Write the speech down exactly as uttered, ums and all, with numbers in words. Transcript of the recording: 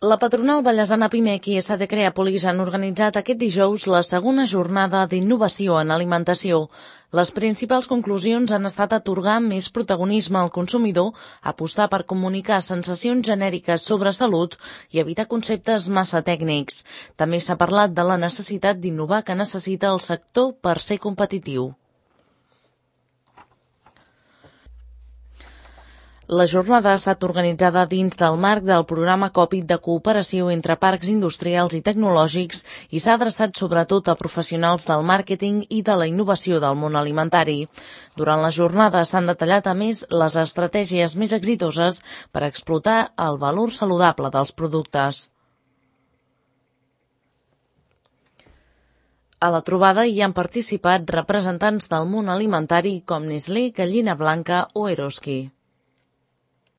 La patronal ballesana Pimec i S D Creàpolis han organitzat aquest dijous la segona jornada d'innovació en alimentació. Les principals conclusions han estat atorgar més protagonisme al consumidor, apostar per comunicar sensacions genèriques sobre salut i evitar conceptes massa tècnics. També s'ha parlat de la necessitat d'innovar que necessita el sector per ser competitiu. La jornada ha estat organitzada dins del marc del programa COPIT de cooperació entre parcs industrials i tecnològics i s'ha adreçat sobretot a professionals del màrqueting i de la innovació del món alimentari. Durant la jornada s'han detallat a més les estratègies més exitoses per explotar el valor saludable dels productes. A la trobada hi han participat representants del món alimentari com Nestlé, Gallina Blanca o Eroski.